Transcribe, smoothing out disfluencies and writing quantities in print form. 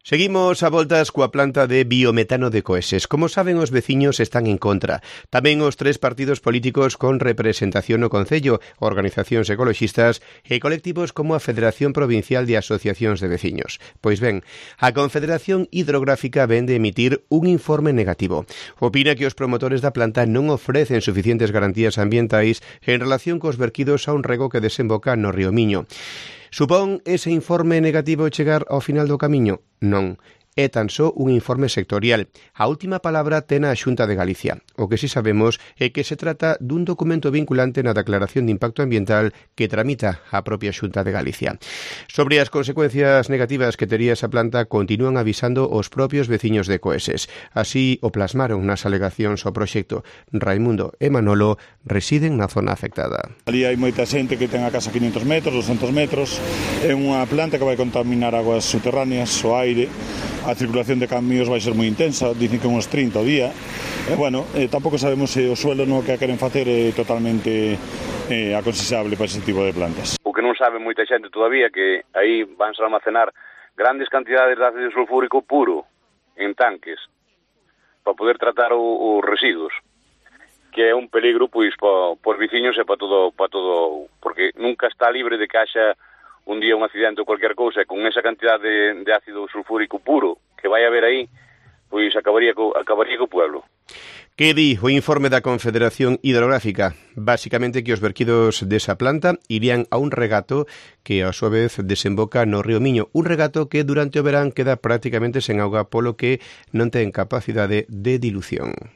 Seguimos a voltas coa planta de biometano de Coeses. Como saben, os veciños están en contra. Tamén os tres partidos políticos con representación no Concello, organizacións ecoloxistas e colectivos como a Federación Provincial de Asociacións de Veciños. Pois ben, a Confederación Hidrográfica ven de emitir un informe negativo. Opina que os promotores da planta non ofrecen suficientes garantías ambientais en relación cos verquidos a un rego que desemboca no río Miño. Supón ese informe negativo chegar ao final do camiño? Non. É tan só un informe sectorial. A última palabra ten a Xunta de Galicia. O que si sabemos é que se trata dun documento vinculante na declaración de impacto ambiental que tramita a propia Xunta de Galicia. Sobre as consecuencias negativas que tería esa planta continúan avisando os propios veciños de Coeses. Así o plasmaron nas alegacións ao proxecto. Raimundo e Manolo residen na zona afectada. Ali hai moita xente que ten a casa 500 metros, 200 metros. É unha planta que vai contaminar aguas subterráneas, o aire. A circulación de camións vai ser moi intensa, dicen que uns 30 ao día. Tampouco sabemos se o suelo no que a queren facer é totalmente aconsexable para ese tipo de plantas. O que non sabe moita xente todavía que aí vanse almacenar grandes cantidades de ácido sulfúrico puro en tanques para poder tratar os residuos, que é un peligro pois para os veciños e para todo, porque nunca está libre de que haxa un día un accidente ou cualquier cousa, e con esa cantidad de ácido sulfúrico puro que vai haber aí, pois acabaría co pueblo. Que di o informe da Confederación Hidrográfica? Básicamente que os verquidos desa planta irían a un regato que a súa vez desemboca no río Miño, un regato que durante o verán queda prácticamente sen auga, polo que non ten capacidade de dilución.